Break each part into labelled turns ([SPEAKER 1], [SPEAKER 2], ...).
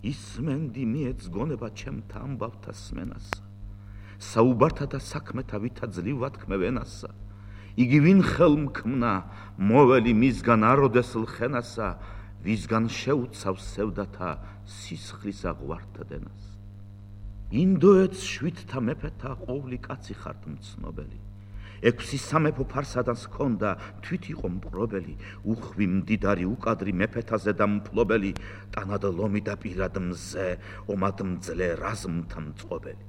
[SPEAKER 1] ისმენდი მიეც გონება ჩემთა ამბავთა სმენასა, საუბართა და საქმეთა ვითა ძლივად ქმევენასა, იგი ვინ ხელმქმნა მოველი მისგან აროდესლ ხენასა, ვისგან შეუცავს სევდათა სისხლის აღვართდენას. ინდოეთს შვიდთა მეფეთა ყოვლი კაცი ხართ მცნობელი, 6 სამეფო ფარსადანს ჰქონდა თვით იყო მპყრობელი, უხვი მდიდარი უკადრი მეფეთაზე და მფლობელი, ტანად ლომი და პირად მზე, ომად მძლე რაზმთა მწყობელი.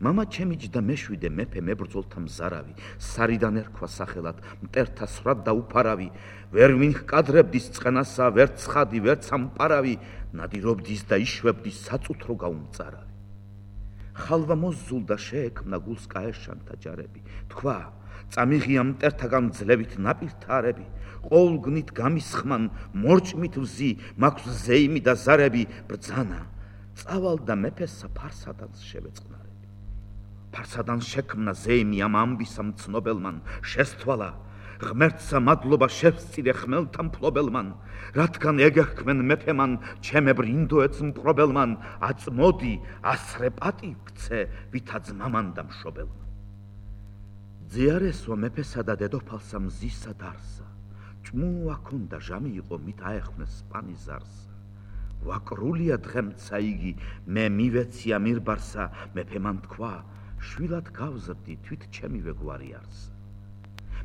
[SPEAKER 1] მამა ჩემიჯდა მეშვიდე მეფე მებრძოლთა მზარავი, სარიდან ერქვა სახელად მტერთა სვრად და უფარავი, ვერ ვინჰკადრებდის წყენასა, ვერ ცხადი, ვერ სამპარავი, ნადირობდის და იშვებდის საწუთრო გაუმწარავი. ხალვა მოსძულდა შეექმნა გულს კაეშანთა ჯარები, თქვა წამიღია მტერთაგან ძლევით ნაპირთარები, ყოვლგნით გამისხმან მორჭმით ვზი, მაქვს ზეიმი და ზარები, ბრძანა წავალდა მეფესა ფარსადანს შევეწყნარები. ფარსადანს შექმნა ზეიმი ამ ამბისა მცნობელმან, შესთვალა ღმერთსა მადლობა შევსწირე ხმელთა მფლობელმან, რადგან ეგერქმენ მეფემან ჩემებრ ინდოეთს მპყრობელმან, აწმოდი ასრე პატივ გცე ვითა ძმამან და მშობელმან. ძიარესვა მეფესა და დედოფალსა მზისა დარსა, ჭმუა ქონდა ჟამი იყო მით აეხვნეს სპანი ზარსა, ვაკრულია დღემცა იგი მე მივეცია მირბარსა, მეფემან თქვა შვილად გავზრდი თვით ჩემივე გვარი არსა.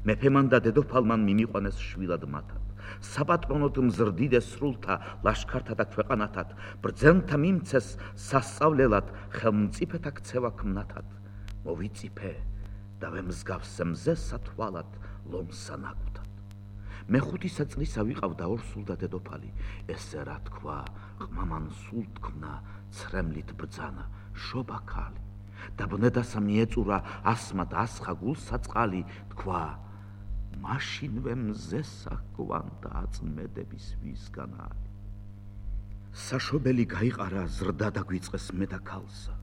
[SPEAKER 1] მეფემან და დედოფალმან მიმიყვანეს შვილად მათად, საპატრონოდ მზრდიდეს სრულთა ლაშქართა და ქვეყანათად, ბრძენთა მიმცეს სასწავლელად, ხელმწიფეთა ქცევა ქმნათად, მოვიწიფე და ვემსგავსე მზესა თვალად ლომსა ნაკუთად. მე5 წლისა ვიყავდა ორსულდა დედოფალი, ესე რა თქვა ყმამან სულ თქმნა ცრემლით ბრძანა შობა ქალი, და ბნედასა მიეწურა ასმა და ასხა გულსა წყალი, თქვა მაშინვე მზესა გვანდა აწმედების ვისგან ალი. საშობელი გაიყარა ზრდა და გვიწყეს მე და ქალსა,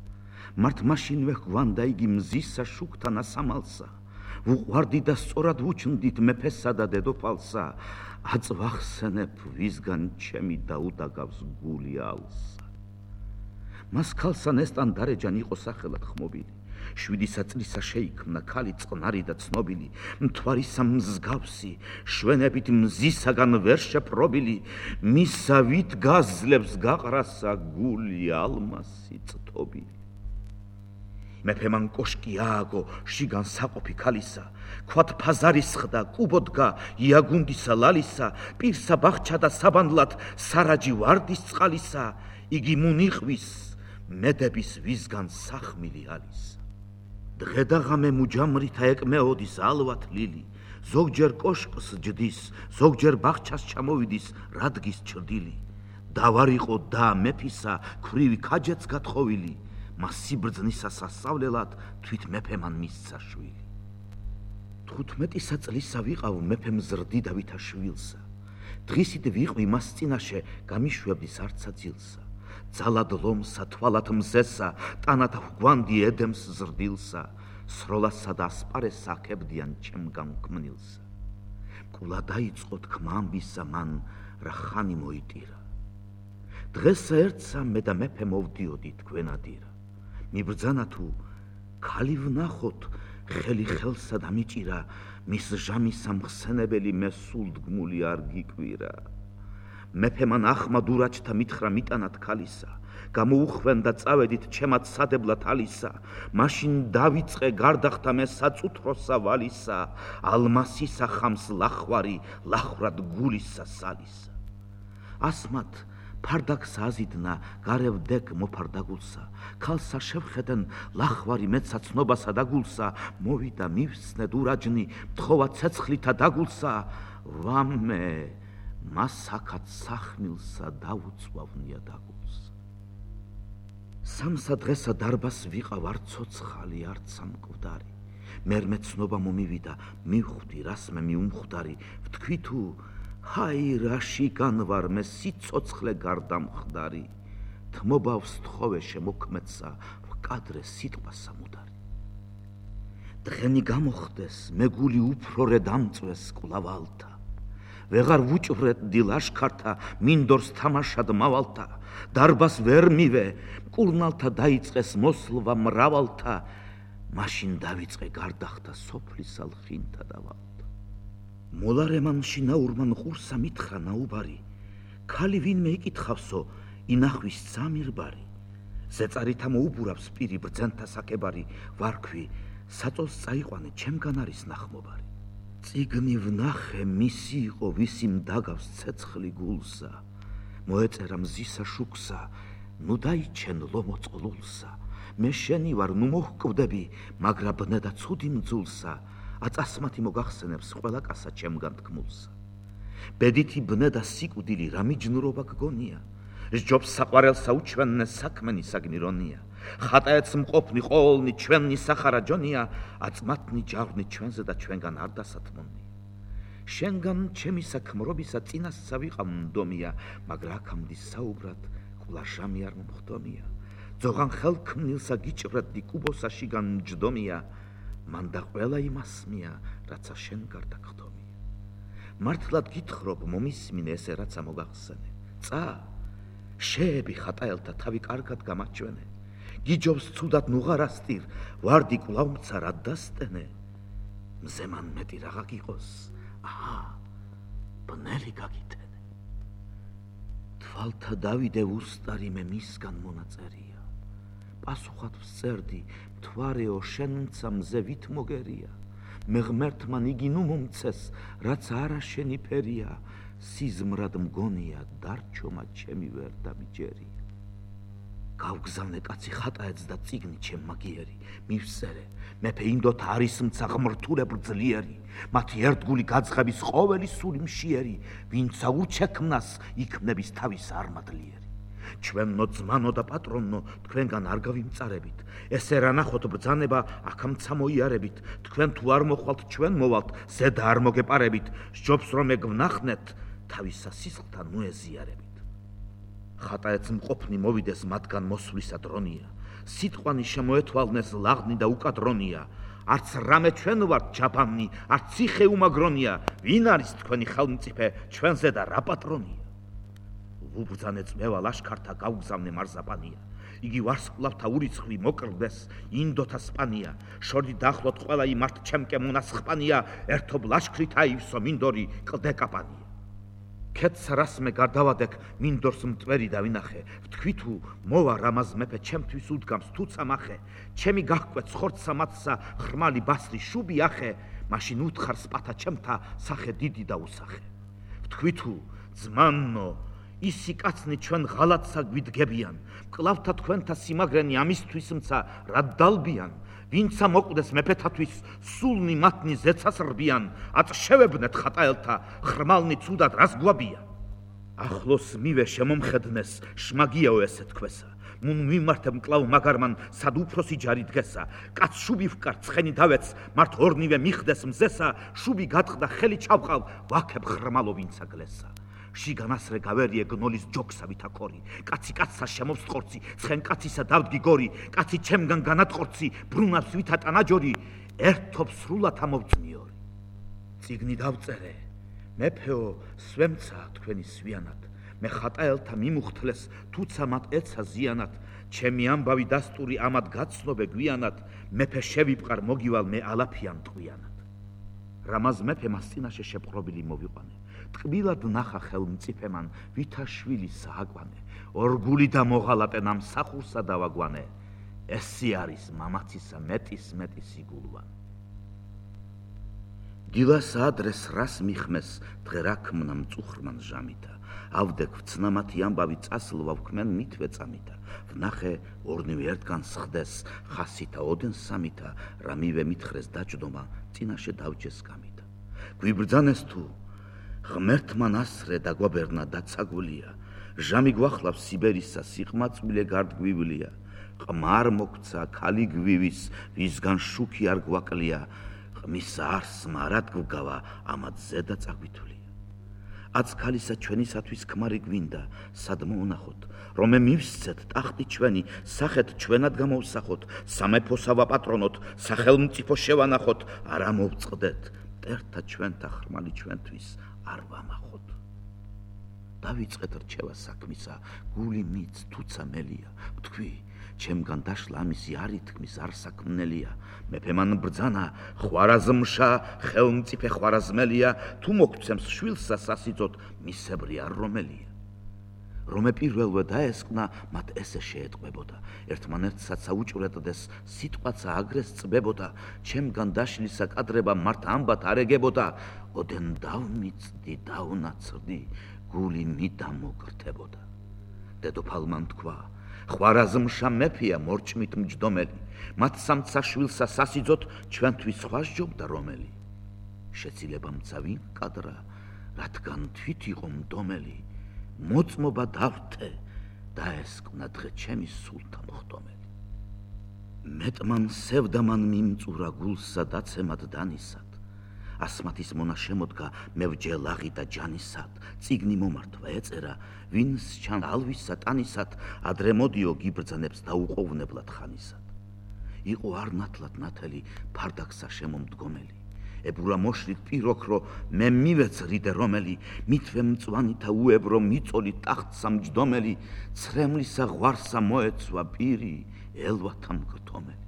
[SPEAKER 1] მართ მაშინვე გვანდა იგი მზისა შუქთან ასამალსა, ვუყვარდი და სწორად ვუჩნდით მეფესა და დედოფალსა, აწვახსენებ ვისგან ჩემი დაუდაგავს გული ალსა. მას ქალსა ნესტან დარეჯან იყო სახელად ხმობილი, 7 წლისა შეიქმნა ქალი წყნარი და ცნობილი, მთვარისა მსგავსი, შვენებით მზისაგან ვერ შეპრობილი, მისა ვით გაზლებს გაყრასა გული ალმასი წთობილი. მეფემან კოშკი ააგო შიგან საყოფი ქალისა, ქვათ ფაზარის ხდა, კუბოდგა იაგუნდისა ლალისა, პირსა ბახჩა და საბანდლად სარაჯი ვარდის წყალისა, იგი მუნიყვის მედების ვისგან სახმილი ალისა. დღე და ღამე მუჯამრითა ეკმეოდის ალვათ ლილი, ზოგჯერ კოშკს ჯდის, ზოგჯერ ბახჩას ჩამოვიდის რადგის ჩრდილი, დავარიყო და მეფისა ქვრივი ქაჯეც გათხოვილი, მას სიბრძნისა სასწავლელად თვით მეფემან მისცა შვილი. 15 წლისა ვიყავ მეფემ ზრდიდავითა შვილსა, დღისით ვიყვი მას წინაშე გამიშვებდის არცა ძილსა, ძალად ლომსა თვალად მზესა, ტანად გვანდი ედემს ზრდილსა, სროლასა და ასპარესა აქებდიან ჩემგან ქმნილსა. კულა დაიწყო თქმა ამბისა მან, რა ხანი მოიტირა. დღესა ერთსა მე და მეფე მოვდიოდი თქვენადირა. მიბრძანა თუ ქალი ვნახოთ, ხელი ხელსა დამიჭირა, მის ჟამისა მხსენებელი მე სულდგმული არ გიკვირა. მეფემან ახმა დურაჯთა მითხრა მიტანად ქალისა, გამოუხვენდა წავედით ჩემად სადებლად ალისა, მაშინ დავიწყე გარდახთა მე საწუთროსა ვალისა, ალმასისა ხამს ლახვარი, ლახრად გულისა სალისა. ასმათ ფარდაგს აზიდნა გარევლ დეგ მოფარდაგულსა, ქალსა შევხედენ ლახვარი მეცა ცნობასა დაგულსა, მოვიდა მივსნე დურაჯნი, თხოვა ცეცხლითა დაგულსა, ვამე მასაკად სახმილსა დაუწვავნია დაგულსა. სამსა დღესა დარბას ვიყავ არ ცოცხალი, არც სამკვდარი, მერმე ცნობა მომივიდა, მივხვდი რას მე მიუმხვდარი, ვთქვი თუ ჰაი რაში განვარ მე სიცოცხლე გარდამხდარი, თმობავს თხოვე შემოქმედსა, ვკადრე სიტყვა სამუდარი. დღენი გამოხდეს, მე გული უფრო რე დამწვეს კვლავ ალთა, ვეღარ ვუჭვრეტდი ლაშქართა მინდორს თამაშად მავალთა დარბას ვერ მივე მკურნალთა დაიწყეს მოსლვა მრავალთა მაშინ დავიწყე გარდახთა სოფლისალ ხინთა დავალთა მოლარემან შინაურმან ყურსა მითხრა ნაუბარი ქალი ვინმე იკითხავსო ინახვის სამირბარი ზეწარითა მოუბურავს პირი ბრძენთა საკებარი ვარქვი საწოლს წაიყვანე ჩემგან არის ნახმობარი წიგნი ვნახე მისი იყო ვისი მდაგავს ცეცხლი გულსა მოეწერა მზისა შუქსა ნუ დაიჩენ ლომოწყლულსა მე შენი ვარ ნუ მოჰკვდები მაგრა ბნედა ცუდი მძულსა აწასმათი მოგახსენებს ყველა კასა ჩემგან თქმულსა ბედითი ბნედა სიკვდილი რა მიჯნურობა გგონია სჯობს საყვარელსა უჩვენნე საქმენი საგნირონია ხატაეც მყოფნი ყოვლნი ჩვენი სახარა ჯონია აწმათნი ჯავრნი ჩვენზე და ჩვენგან არ დასათმონია შენგან ჩემი საქმრობისა წინასცა ვიყავ მდომია მაგრა აქამდე საუბრად კვლავ ჟამი არ მომხდომია ძოღან ხელქმნილსა გიჭრედი კუბოსაში განჯდომია მან და ყველა იმასმია რაცა შენ გარდა გხდომია მართლად გითხრობ მომისმინე ესე რაცა მოგახსენე წა შეები ხატაელთა თავი კარგად გამაჩვენე გიჯობს ცუდად ნუღარასტირ ვარდი კვლავ მცარად დასტენე მზემან მეტი რაღა გიყოს აჰა ბნელი გაგიტენე თვალთა დავიდე უსტარი მე მისგან მონაწერია პასუხად ვწერდი მთვარეო შენცა მზე ვით მოგერია მე ღმერთმან იგი ნუ მომცეს რაც არა შენი ფერია სიზმრად მგონია დარჩომა ჩემი ვერ დამიჯერია გავგზავნე კაცი ხატაეც და წიგნი ჩემ მაგიერი მივწერე მეფე ინდოთა არის მცა ღმრთულებრ ძლიერი მათი ერთგული გაძღების ყოველი სული მშიერი ვინცა უჩექმნას იქმნების თავის არმადლიერი ჩვენნო ძმანო და პატრონნო თქვენგან არ გავიმწარებით ესე რა ნახოთ ბრძანება აქამცა მოიარებით თქვენ თუ არ მოხვალთ ჩვენ მოვალთ ზედა არ მოგეპარებით სჯობს რომ ეგვნახნეთ თავისა სისხლთან მოეზიარებით ხატაეც მყოფნი მოვიდეს მათგან მოსვლისა დრონია სიტყვანი შემოეთვალნეს ლაღნი და უკადრონია არც რამე ჩვენ ვართ ჯაბანი არც ციხე უმაგრონია ვინ არის თქვენი ხელმწიფე ჩვენზე და რა პატრონია ვუბრძანე წმევა ლაშქართა გავგზავნე მარზაპანია იგი ვარსკვლავთა ურიცხვი მოკრდეს ინდოთა სპანია შორი დახლოთ ყველა იმართ ჩემკე მონასხპანია ერთობ ლაშქრით აივსო მინდორი კლდეკაპანია კეთს რასმე გარდავადეკ მინდორს მტვერი დავინახე ვთქვი თუ მოვა რამაზ მეფე ჩემთვის უდგამს თუცა მახე ჩემი გահკვეთ ხორცსა მათსა ხრმალი ბასრი შუბი ახე მაშინ უთხარ სპათა ჩემთა სახე დიდი და უსახე ვთქვი თუ ძმანო ისი კაცნი ჩვენ ღალატსა გვიდგებიან მკლავთა თქვენთა სიმაგრენი ამისთვის მცა რა დალბიან ვინცა მოკვდეს მეფეთათვის სულნი მათნი ზეცას რბიან აწშევებნეთ ხატაელთა ხრმალნი ცუდად რას გვაბიან ახლოს მივე შემომხედნეს შმაგიაო ესე თქვესა მუნ მიმართებ მკლავ მაგარმან სად უფროსი ჯარი დგესა კაც შუბი ვკარ ცხენი დავეც მართ ორნივე მიხდეს მზესა შუბი გატყდა ხელი ჩავყავ ვაქებ ხრმალო ვინცა გლესა შიგანასრე გავერიე გნოლის ჯოქსა ვითაქორი კაცი კაცსა შემოვსტყორცი ცხენ კაცისა დავდგი გორი კაცი ჩემგან განატყორცი ბრუნავს ვითატანაჯორი ერთობ სრულად ამოვწნიორი წიგნი დავწერე მეფეო სვემცა თქვენი სვიანად მე ხატაელთა მიმუხთლეს თუცა მათ ეცა ზიანად ჩემი ამბავი დასტური ამად გაცნობე გვიანად მეფე შევიპყარ მოგივალ მე ალაფიან ტყვიანად რამაზ მეფე მას წინაშე შეპყრობილი მოვიყვანე ტკბილად ნახა ხელმწიფემან ვითაშვილი სააკვანე ორგული და მოღალატე ნამსახურსა დავაგვანე ესი არის მამაცისა მეტის სიგულვანი დილას ადრეს რას მიხმეს დღერაქმნა მწუხრმან ჟამითა ავდექ ვცნამათი ამბავი წასლვა ვქმენ მითვე წამითა ვნახე ორნივე ერთგან სხდეს ხასითა ოდენ სამითა რამივე მითხრეს დაჯდომა წინაშე დავჯეს გამითა გვიბრძანეს თუ ღმერთმან ასრე დაგვაბერნა დაცაგულია ჟამი გვახლავს სიბერისა სიყმაწვილე გარდგვივლია ყმარ მოგცა ქალი გვივის ვისგან შუქი არ გვაკლია ყმის არს მარად გვგავა ამად ზედა წაგვითვლია აც ქალისა ჩვენისათვის ქმარი გვინდა სად მოუნახოთ რომ მე მივსცეთ ტახტი ჩვენი სახეთ ჩვენად გამოვსახოთ სამეფოსა ვაპატრონოთ სახელმწიფო შევანახოთ არ ამოვწყდეთ მტერთა ჩვენთა ხრმალი ჩვენთვის არ ვამახოთ. დავიწყეთ რჩევა საქმისა, გული მიც თუცა მელია, ვთქვი, ჩემგან დაშლა ამისი არ ითქმის, არ საქმნელია, მეფე მან ბრძანა, ხვარაზმშა, ხელმწიფე ხვარაზმელია, თუ მოგცემს შვილსა სასიძოთ, მისებრი არ რომელია. რომე პირველვე დაესკნა, მათ ესე შეეტყვებოდა, ერთმანერთსაც საუჭვრეთდეს, სიტყვაცა აგრეს წბებოდა, ჩემგან დაშლისა კადრება მართ ამბათ არ ეგებოდა, ოდენ დავმიწდი, დავნაცრდი, გული მიდამოგრთებოდა. დედოფალმან თქვა, ხვარაზმშა მეფეა მორჭმით მჯდომელი, მათ სამცა შვილსა სასიძოთ, ჩვენთვის სხვა სჯობდა რომელი. შეცილებამცა ვინ კადრა, რადგან თვით იყო მდომელი, მოწმობა დავთე, დაესკნა დღე ჩემი სულთა მოხდომელი. მეტმან სევდამან მიმწურა გულსა დაცემად დანისად, ასმათის მონა შემოდგა მევჯე ლაღი და ჯანისად, წიგნი მომართვა ეწერა, ვინს ჩან ალვისა ტანისად, ადრე მოდიო გიბრძანებს დაუყოვნებლად ხანისად. იყო არ ნათლად ნათელი, ფარდაგსა შემომდგომელი, ებურა მოშლით პიროქრო, მე მივეცრიდე რომელი, მითვე მწვანითა უებრო მიწოლი ტახტსა მჯდომელი, ცრემლისა ღვარსა მოეცვა პირი, ელვათა მგრთომელი.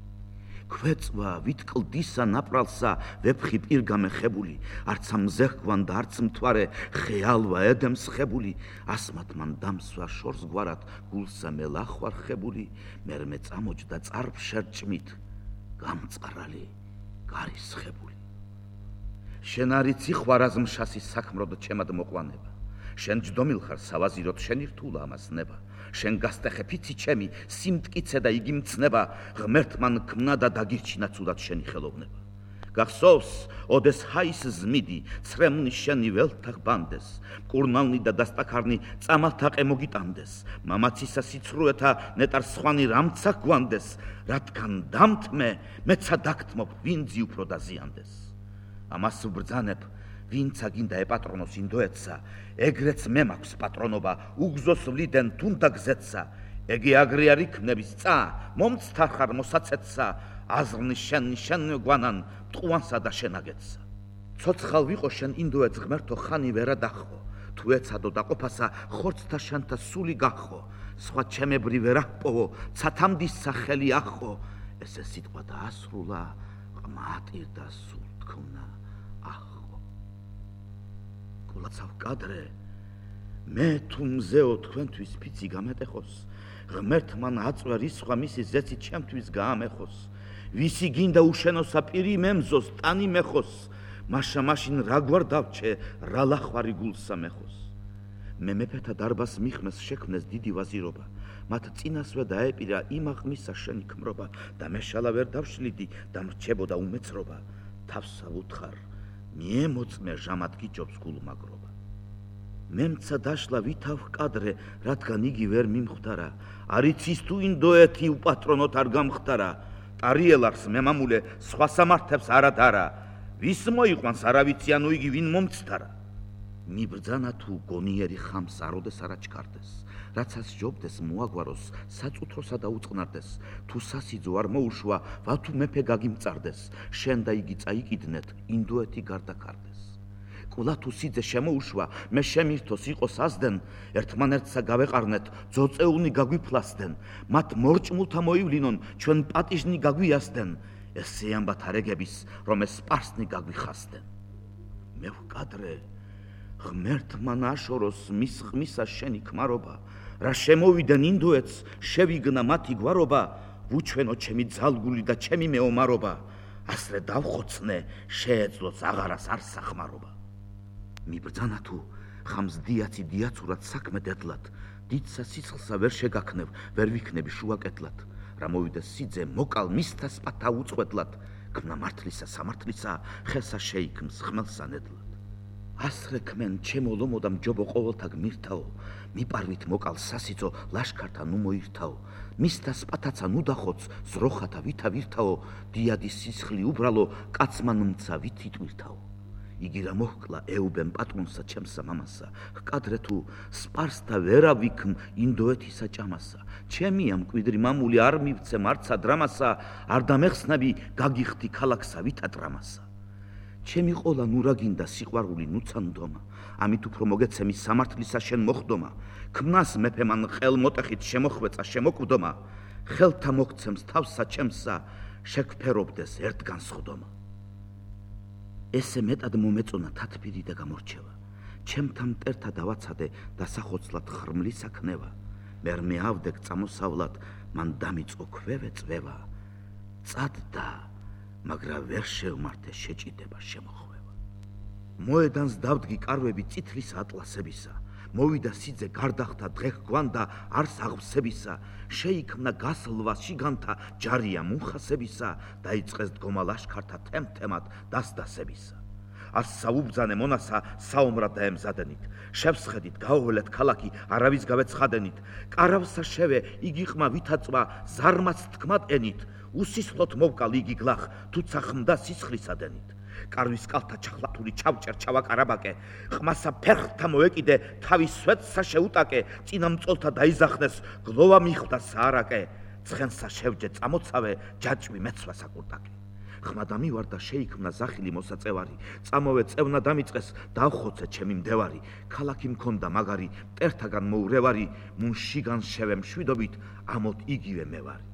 [SPEAKER 1] ქვეწვა ვითკლდისა ნაპრალსა, ვეფხი პირგამეხებული, არც ამზეხვან და არც მთვარე, ხეალვა ედემს ხებული, ასმათ მან დამსვა შორს გვარად, გულსა მელახვარ ხებული, მერმე წამოჯდა წარფშერჭმით, გამწყრალი, გარისხებული. შენ არიცი ხვარაზმშასის საქმროდ ჩემად მოყვანება, შენ ჯდომილ ხარ სავაზიროთ, შენი რთულა ამას ნება, შენ გასტეხე ფიცი ჩემი, სიმტკიცე და იგი მცნება, ღმერთმან ქმნა და დაგირჩინა ცუდად შენი ხელოვნება. გახსოვს, ოდეს ჰაის ზმიდი, ცრემლნი შენი ველთა ბანდეს, მკურნალნი და დასტაქარნი წამალთაყე მოგიტანდეს, მამაცისა სიცრუეთა ნეტარ სხვანი რამცა გვანდეს, რადგან დამთმე, მეცა დაგთმობ, ვინძი უფრო დაზიანდეს. ამას ვბრძანებ, ვინცა გინდა ეპატრონოს ინდოეთსა, ეგრეც მე მაქვს პატრონობა, უგზოს ვლიდენ თუნდა გზეთსა, ეგი აგრე არ იქნების წა, მომცთა ხარ მოსაცეთსა, აზრნი შენ გვანან, მტყუანსა და შენაგეთსა. ცოცხალ ვიყო შენ ინდოეთს ღმერთო ხანი ვერა დახო, თუ ეცადო დაყოფასა, ხორცთა შანთა სული გახო, სხვა ჩემებრი ვერ აღპოვო, ცათამდის სახელი ახო, ესე სიტყვა დაასრულა, ყმატირ და სულ თქმნა ახო. გულაცავ კადრე, მე თუ მზეო თქვენთვის ფიცი გამეტეხოს, ღმერთმან აწვე რისხვა მისი ზეცი ჩემთვის გაამეხოს, ვისი გინდა უშენოსა პირი მემზოს, ტანი მეხოს, მაშა მაშინ რა გვარ დავჩე, რა ლახვარი გულსა მეხოს. მე მეფეთა დარბას მიხმეს შექმნეს დიდი ვაზირობა, მათ წინასვე დაეპირა იმაღმისა შენი ქმრობა, და მე შალა ვერ დავშლიდი და მრჩებოდა უმეცრობა, თავსა ვუთხარ, მიემოწმე ჟამად გიჯობს გულმაგრობა. მემცა დაშლა ვითავ კადრე, რადგან იგი ვერ მიმხვდარა, არიცის თუ ინდოეთი უპატრონოთ არ გამხდარა, ტარიელარს მემამულე სხვა სამართებს არადარა, ვის მოიყვანს არავიცი ანუ იგი ვინ მომცდარა. მიბრძანა თუ გონიერი ხამს აროდეს არაჩქარდეს, რაცაც ჯობდეს მოაგვაროს, საწუთროსა და უწყნარდეს, თუ სასიძო არ მოუშვა, ვათუ მეფე გაგიმწარდეს, შენ და იგი წაიკიდნეთ, ინდოეთი გარდაქარდეს. კულა თუ სიძე შემოუშვა, მე შემირთოს იყოს ასდენ, ერთმანერთსა გავეყარნეთ, ძოწეულნი გაგვიფლასდენ, მათ მორჭმულთა მოივლინონ, ჩვენ პატიჟნი გაგვიასდენ, ესე ამბათ არეგების, რომ ეს სპარსნი გაგვიხასდენ. მე ვკადრე, ღმერთმან აშოროს მის ხმისა შენი ქმარობა, რა შემოვიდნენ ინდოეთს, შევიგნა მათი გვარობა, ვუჩვენო ჩემი ძალგული და ჩემი მეომარობა, ასრე დავხოცნე, შეეძლოს აღარას არ სახმარობა. მიბრძანა თუ ხამს დიაცი დიაცურად საქმე დედლად, დიდსა სიცხლსა ვერ შეგაქნევ, ვერ ვიქნები შუაკეთლად, რა მოვიდეს სიძე მოკალ მისთა სპათა უწყვეტლად, ქმნა მართლისა სამართლისა, ხესა შეიქმს ხმელსა ნედლად. ასრე ქმენ ჩემო ლომო და მჯობო ყოველთა გმირთაო, მიპარვით მოკალ სასიძო ლაშქართა ნუ მოირთაო, მისთა სპათაცა ნუ დახოც, ზროხათა ვითა ვირთაო, დიადის სისხლი უბრალო, კაცმან მცა ვით იტვირთაო. იგი რა მოჰკლა ეუბენ პატრონსა ჩემსა მამასა, ჰკადრე თუ სპარსთა ვერა ვიქმ ინდოეთისა ჭამასა, ჩემია მკვიდრი მამული არ მივცემ არცა დრამასა, არ დამეხსნები გაგიხდი ქალაქსა ვითა დრამასა. ჩემი ყოლა ნუ რა გინდა სიყვარული ნუცა ნდომა, ამით უფრო მოგეცემი სამართლისა შენ მოხდომა, ქმნას მეფე მან ყელმოტეხით შემოხვეწა შემოკვდომა, ხელთა მოგცემს თავსა ჩემსა, შეგვფერობდეს ერთ განსხვდომა. ესე მეტად მომეწონა თათბირი და გამორჩევა, ჩემთა მტერთა დავაცადე დასახოცლად ხრმლისა ქნევა, მერმე ავდეკ წამოსავლად, მან დამიწყო ქვევე წვევა, წადდა, მაგრამ ვერ შევმართე შეჭიდება შემოხვევა. მოედანს დავდგი კარვები წითლის ატლასებისა, მოვიდა სიძე გარდახთა დღეხ გვანდა არს აღვსებისა, შეიქმნა გასლვა შიგანთა ჯარია მუნხასებისა, დაიწყეს დგომა ლაშქართა თემთემად დასდასებისა. ას საუბძანე მონასა საომრად დაემზადენით, შევსხედით გაუველეთ ქალაქი არავის გავეცხადენით, კარავსა შევე იგი ყმა ვითაწვა ზარმაც თქმად ენით, უსისხლოთ მოვკალ იგი გლახ თუცა ხმდა სისხლისადენით. კარვის კალთა ჩახლათული ჩავჭერ ჩავაკარაბაკე, ყმასა ფერხთა მოეკიდე, თავის სვეტსა შეუტაკე, წინამწოლთა დაიზახნეს, გლოვა მიხვდა საარაკე, ცხენსა შევჯე წამოცავე, ჯაჭვი მეცვა საკურტაკე. ხმა დამივარდა შეიქმნა ზახილი მოსაწევარი, წამოვე წევნა დამიწყეს, დავხოცე ჩემი მდევარი, ქალაქი მქონდა მაგარი, მტერთაგან მოურევარი, მუნ შიგან შევე მშვიდობით, ამოთ იგივე მე ვარი.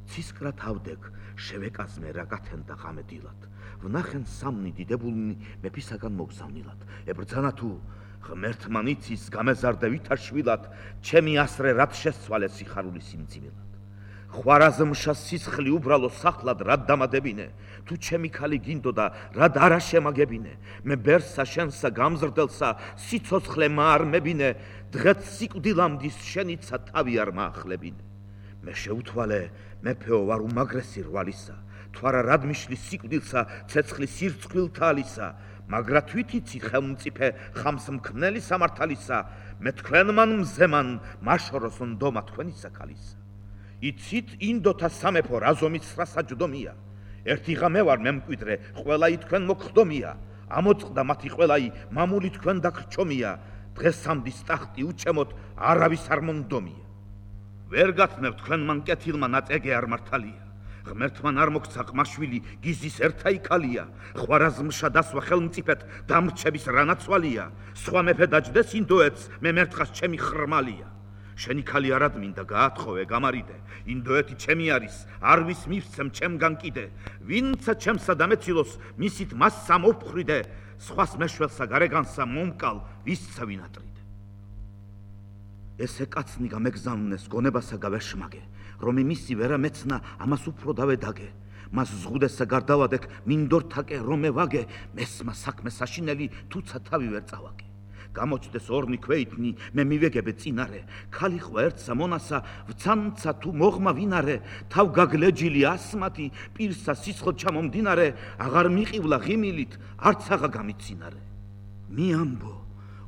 [SPEAKER 1] ცისკრა თავდეკ შევეკაზმე რა გათენდა ღამე დილად, ვნახენ სამნი დიდებულნი მეფისაგან მოგზავნილად, ებრძანა თუ ღმერთმა იცის გამეზარდე ვითაშვილად, ჩემი ასრე რად შესცვალე სიხარული სიმძიმილად. ხვარაზმშა სისხლი უბრალო სახლად რად დამადებინე, თუ ჩემი ქალი გინდოდა რად არა შემაგებინე, მე ბერსა შენსა გამზრდელსა სიცოცხლე არ მებინე, დღეც სიკვდილამდის შენიცა თავი არ მაახლებინე. მე შეუთვალე მეფეო ვარ უმაგრესი რვალისა, თვარა რად მიშლის სიკვდილსა ცეცხლის სირცხვილთა ალისა, მაგრა თვითიცი ხელმწიფე ხამს მქმნელი სამართალისა, მე თქვენმან მზემან მაშოროს ნდომა თქვენისა ქალისა. იცით ინდოთა სამეფო რაზომის საჯდომია, ერთი ღამე ვარ მემკვიდრე, ყველაი თქვენ მოგხდომია, ამოწყდა მათი ყველაი, მამული თქვენ დაგრჩომია, დღესამდის ტახტი უჩემოთ, არავის არ მონდომია. ვერ გათმევ თქვენმან კეთილმა ნაწეგე არ მართალია, ღმერთმან არ მოგცა ყმაშვილი, გიზის ერთა იქალია, ხვარაზმშა დასვა ხელმწიფეთ, დამრჩების რანაცვალია, სხვა მეფე დაჯდეს ინდოეთს, მე მერთხას ჩემი ხრმალია. შენი ქალი არად მინდა გაათხოვე გამარიდე, ინდოეთი ჩემი არის, არვის მივცემ ჩემგან კიდე, ვინცა ჩემსა დამეცილოს, მისით მასსა მოვფხრიდე, სხვას მეშველსა გარეგანსა მომკალ, ვისცა ვინატრიდე. ესე კაცნი გამეგზავნეს გონებასა გავეშმაგე, რომ მისი ვერა მეცნა ამას უფრო დავედაგე, მას ზღუდესა გარდავადეკ მინდორთაკე რომე ვაგე, მესმა საქმე საშინელი თუცა თავი ვერ წავაგე. გამოჩდეს ორნი ქვეითნი, მე მივეგებე წინარე, ქალი ხვა ერთსა მონასა, ვცანცა თუ მოღმა ვინარე, თავ გაგლეჯილი ასმათი, პირსა სისხლ ჩამომდინარე, აღარ მიყივლა ღიმილით, არც აღა გამიცინარე. მიამბო,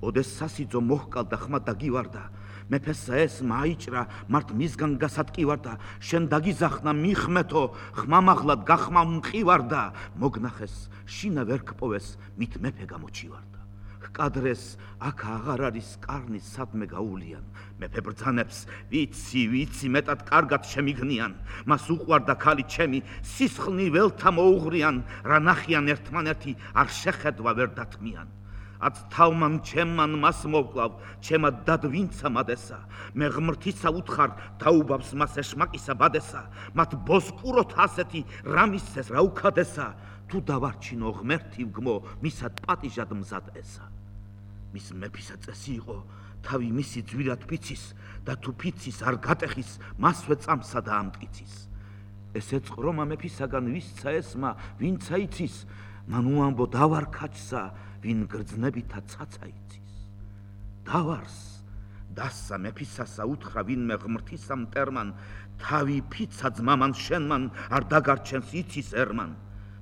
[SPEAKER 1] ოდეს სასიძო მოჰკალდა ხმა დაგივარდა, მეფესა ეს მაიჭრა, მართ მისგან გასატკივარდა, შენ დაგიზახნა მიხმეთო, ხმამაღლად გახმა მყივარდა, მოგნახეს, შინა ვერ გპოვეს, მით მეფე გამოჩივარდა. კადრეს აქ აღარ არის კარნის სადმე გაულიან, მეფე ბრძანებს, ვიცი მეტად კარგად შემიგნიან, მას უყვარდა ქალი ჩემი, სისხლნი ველთა მოუღრიან, რა ნახიან ერთმანერთი არ შეხედვა ვერ დათმიან. აც თავმან ჩემმან მას მოვკლავ, ჩემად დად ვინცა მადესა, მე ღმრთისა უთხარ, დაუბავს მას ეშმაკისა ბადესა, მათ ბოსკუროთ ასეთი რამისეს რა უქადესა, თუ დავარჩინო ღმერთი ვგმო, მისად პატიჟად მზად ესა. მის მეფისა წესი იყო, თავი მისი ძვირად ფიცის და თუ ფიცის არ გატეხის, მასვე წამსა და ამტკიცის. ესე წყრომა მეფისაგან ვისცა ესმა, ვინცა იცის, მან უამბო დავარ ქაჩსა, ვინ გრძნებითა ცაცა იცის. დავარს, დასსა მეფისასა უთხრა ვინმე ღმრთისა მტერმან, თავი ფიცა ძმამან შენმან, არ დაგარჩენს იცის ერმან.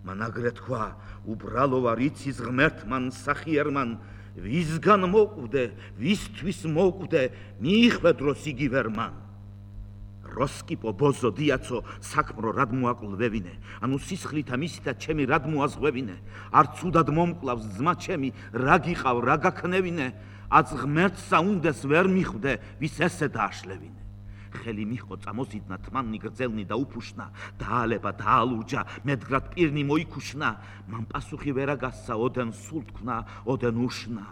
[SPEAKER 1] მან აგრე თქვა, უბრალო ვარ იცის ღმერთმან სახიერმან, ვისგან მოკვდე, ვისთვის მოკვდე, მიიხვედროს იგი ვერმან. როსკიპო ბოზო დიაცო საქმრო რად მოაკლვევინე, ანუ სისხლითა მისითა ჩემი რად მოაზღვევინე, არ ცუდად მომკლავს ძმა ჩემი, რა გიყავ, რა გაქნევინე, აც ღმერთსა უნდეს ვერ მიხვდე, ვის ესე დააშლევინე. ხელი მიჰყო წამოზიდნა თმანნი გრძელნი და უფუშნა დაალება დაალურჯა მედგრად პირნი მოიქუშნა მან პასუხი ვერა გასცა ოდენ სულ თქვნა ოდენ უშნა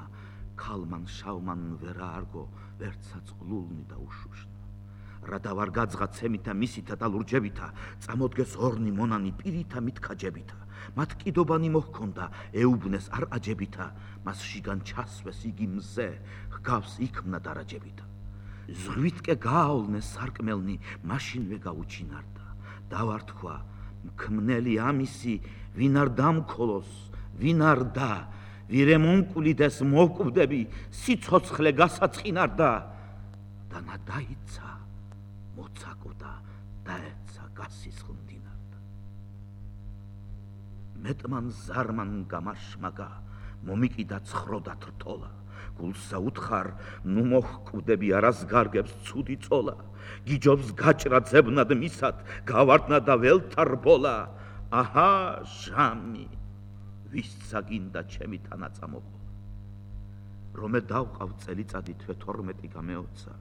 [SPEAKER 1] ქალმან შავმან ვერა არგო ვერცა წყლულნი და უშუშნა რა დავარ გაძღა ცემითა მისითა და ლურჯებითა წამოდგეს ორნი მონანი პირითა მითქაჯებითა მათ კიდობანი მოჰქონდა ეუბნეს არ აჯებითა მას შიგან ჩასვეს იგი მზე ჰგავს იქმნა დარაჯებითა ზღვიტკე გააოლნეს სარკმელნი მაშინვე გაუჩინარდა დავართქვა მქმნელი ამისი ვინ არ დამქოლოს ვინ არ და ვირემონკულიდეს მოვკვდები სიცოცხლე გასაწყინარდა დანა დაიცა მოცაკოდა დაეცა გასისხლნდინარდა მეტმან ზარმან გამაშმაგა მომიკიდა ცხროდა თრთოლა გულსა უთხარ ნუ მოჰკვდები არას გარგებს ცუდი წოლა გიჯობს გაჭრა ძებნად მისად გავარდნა და ველთარბოლა აჰა ჟამი ვისცა გინდა ჩემი თანაწამოყოლა რომე დავყავ წელიწადი თვე 12 გამეოცა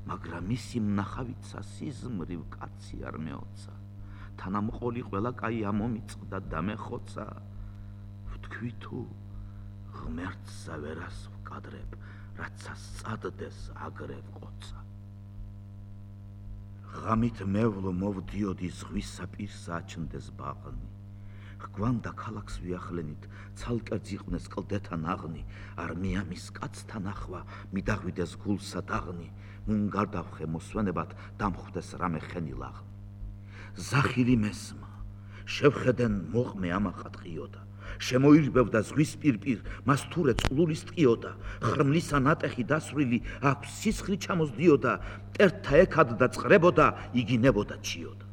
[SPEAKER 1] მაგრამ ისი მნახავიცა სიზმრივ კაცი არ მეოცა თანამყოლი ყველა კაი ამომიწყდა და მეხოცა ვთქვი თუ ღმერთსა ვერას ვკადრებ რაცა სწადდეს აგრევ ყოცა ღამით მევლო მოვდიოდი ზღვისა პირსა აჩნდეს ბაღნი ჰგვანდა ქალაქს ვიახლენით ცალკერძ იყვნეს კლდეთან აღნი არ მიამის კაცთან ახვა მიდაღვიდეს გულსა დაღნი მუნ გარდავხე მოსვენებად დამხვდეს რამე ხენი ლაღნი ზახილი მესმა შევხედენ მოყმე ამახატყიოდა შემოირბევდა ზღვის პირპირ მას თურე წყლულის ტყიოდა ხრმლისა ნატეხი დასვრილი აქვს სისხლი ჩამოსდიოდა მტერთა ეკად და წყრებოდა იგინებოდა ჩიოდა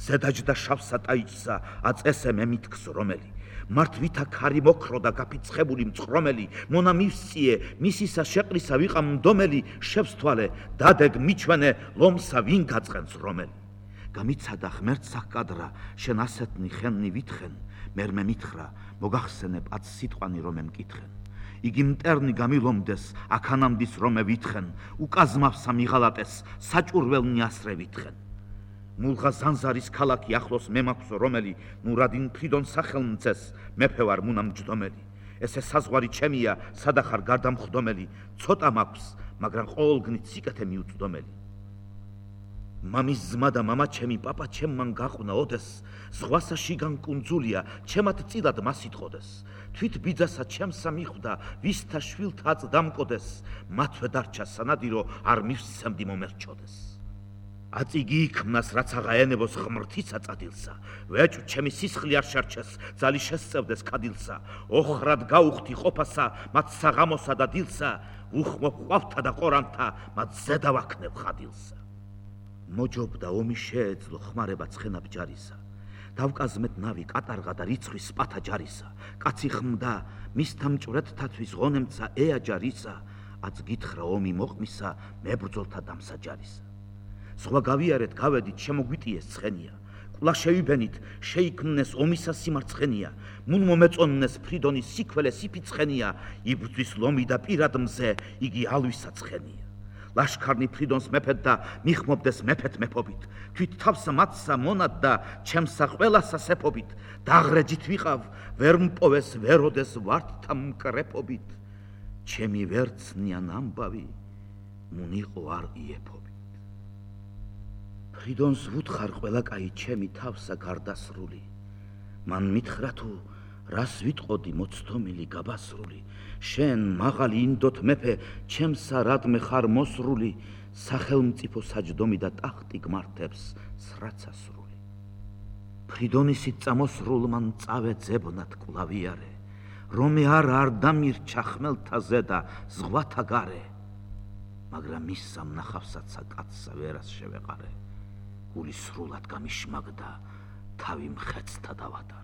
[SPEAKER 1] ზედაჯდა შავსა ტაიჭსა აწესე მე მითქს რომელი მართვითა ქარი მოქრო და გაფიცხებული მწყრომელი მონა მივსწიე მისისა შეყრისა ვიყამ მდომელი შევსთვალე დადეგ მიჩვენე ლომსა ვინ გაწყენს რომელი გამიცადა ღმერთს აკადრა შენ ასეთნი ხენნი ვითხენ მერმე მითხრა მოგახსენე პაც სიტყვანი რომე მკითხენ იგი მტერნი გამილომდეს აქანამდის რომე ვითხენ უკაზმავსა მიღალატეს საჭურველნი ასრე ვითხენ მულღა ზანზარის ქალაქი ახლოს მე მაქვს რომელი ნურადინ ფრიდონ სახელმწეს მეფე ვარ მუნამ ჯდომელი ესე საზღვარი ჩემია სადახარ გარდამხდომელი ცოტა მაქვს მაგრამ ყოველგნით სიკეთე მიუწდომელი მამის ძმა და მამა ჩემი პაპა ჩემმან გაყვნა ოდეს ზღვასა შიგან კუნძულია ჩემად წილად მას იტყოდეს თვით ბიძასა ჩემსა მიხვდა ვისთა შვილთა წდამკოდეს მათვე დარჩა სანადირო არ მივსცემდი მომერჩოდეს აწიგი იქმნას რაც აღაენებოს ღმრთისა წადილსა ვეჭვ ჩემი სისხლი არ შარჩეს ძალი შესწევდეს კადილსა ოხრად გაუხდი ყოფასა მათ საღამოსა და დილსა უხმობ ყვავთა და ყორანთა მათ ზედა ვაქნებ ხადილსა მოჯობდა ომი შეეძლო ხმარება ცხენა ბჯარისა დავკაზმეთ ნავი კატარღა და რიცხვის სპათა ჯარისა კაცი ხმდა მისთა მჭვრეთთათვის ღონემცა ეაჯარისა აც გითხრა ომი მოყმისა მებრძოლთა დამსაჯარისა სხვა გავიარეთ გავედით შემოგვიტიეს ცხენია კულა შევიბენით შეიქმნეს ომისა სიმარცხენია მუნ მომეწონნეს ფრიდონის სიქველე სიფიცხენია იბრძვის ლომი და პირად მზე იგი ალვისა ცხენია ლაშქარნი ფრიდონს მეფეთ და მიხმობდეს მეფეთ მეფობით თვით თავსა მათსა მონად და ჩემსა ყველასა სეფობით დაღრეჯით ვიყავ ვერ მპოვეს ვეროდეს ვართთა მკრეფობით ჩემი ვერცნიან ამბავი მუნ იყო არ იეფობით ფრიდონს ვუთხარ ყველა კაი ჩემი თავსა გარდასრული მან მითხრა თუ რას ვიტყოდი მოცდომილი გაბასრული შენ მაღალი ინდოთ მეფე ჩემსა რადმე ხარ მოსრული სახელმწიფო საჯდომი და ტახტი გმართებს სრაცასრული ფრიდონისით წამოსრულმან წავე ძებნად კვლავიარე რომე არ დამირჩა ხმელთა ზედა ზღვათა გარე მაგრამ მის სამნახავსაცა კაცსა ვერას შევეყარე გული სრულად გამიშმაგდა თავი მხეცთა დავადარე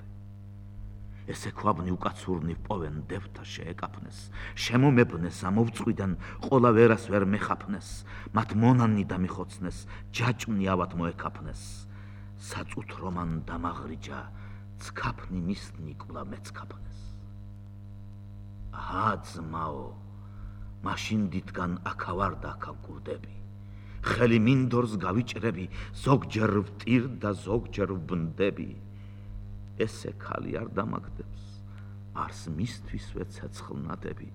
[SPEAKER 1] ესე ქვაბნი უკაცურნი პოვენ დევთა შეეკაფნეს შემომებნეს ამოვწყვიდან ყოლა ვერას ვერ მეხაფნეს მათ მონანი დამიხოცნეს ჯაჭმნი ავად მოეკაფნეს საწუთრომან დამაღრიჯა ცქაფნი მისნი კულა მეცქაფნეს აჰა ძმაო მაშინ დიდგან აქა ვარ და აქა ვკურდები ხელი მინდორს გავიჭრები, ზოგჯერ ვტირ და ზოგჯერ ვბნდები. ესე ქალი არ დამაგდებს, არს მისთვისვე ცეცხლნადები,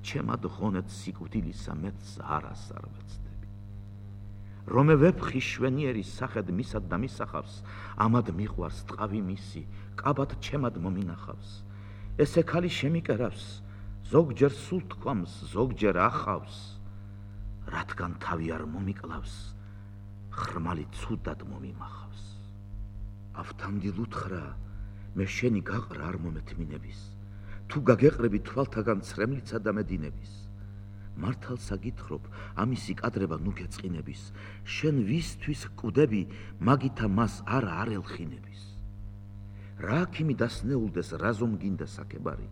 [SPEAKER 1] ჩემად ღონეთ სიკვდილისა მეც არას არ ვეცდები. რომე ვეფხი შვენიერი სახედ მისად და მისახავს, ამად მიყვარს ტყავი მისი, კაბად ჩემად მომინახავს. ესე ქალი შემიკერავს, ზოგჯერ სულ თქვამს, ზოგჯერ ახავს, რადგან თავი არ მომიკლავს, ხრმალი ცუდად მომიმახავს. ავთანდილ უთხრა, მე შენი გაყრა არ მომეთმინების, თუ გაგეყრები თვალთაგან ცრემლიცა და მედინების. მართალ საგითხრობ, ამისი კადრება ნუ გეწყინების, შენ ვისთვის კვდები, მაგითა მას არა არ ელხინების. რა აქიმი დასნეულდეს, რაზომ გინდა საკებარი,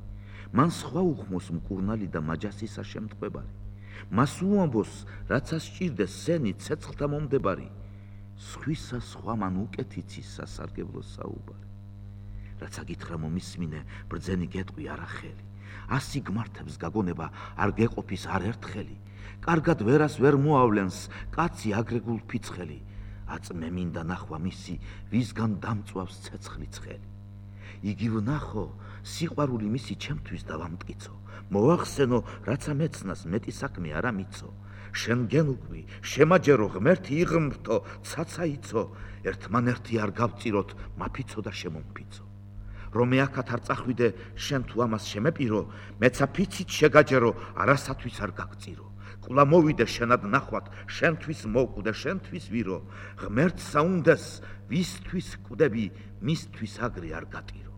[SPEAKER 1] მან სხვა უხმოს მკურნალი და მაჯასისა შემტყვებარი. მას უამბოს, რაცა სჭირდეს სენი ცეცხლთა მომდებარი, სხვისა სხვა მან უკეთიცის სასარგებლო საუბარი. რაცა გითხრა მომისმინე, ბრძენი გეტყვი არახელი, ასი გმართებს გაგონება არ გეყოფის არ ერთხელი, კარგად ვერას ვერ მოავლენს, კაცი აგრეგულ ფიცხელი, აწმე მინდა ნახვა მისი, ვისგან დამწვავს ცეცხლი ცხელი. იგი ვნახო, სიყვარული მისი ჩემთვის დავამტკიცო, მოახსენო, რაცა მეცნას მეტი საქმე არა მიცო. შენ გენუკვი, შემაჯერო, ღმერთი იღმრთო, ცაცა იცო, ერთმანერთი არ გავწიროთ, მაფიცო და შემომფიცო. რომე აქათ არ წახვიდე, შენ თუ ამას შემეპირო, მეცა ფიცით შეგაჯერო, არასათვის არ გაგწირო. კულა მოვიდე შენად ნახვად, შენთვის მოვკვდე, შენთვის ვირო, ღმერთს საუნდეს, ვისთვის კვდები, მისთვის აგრე არ გატირო.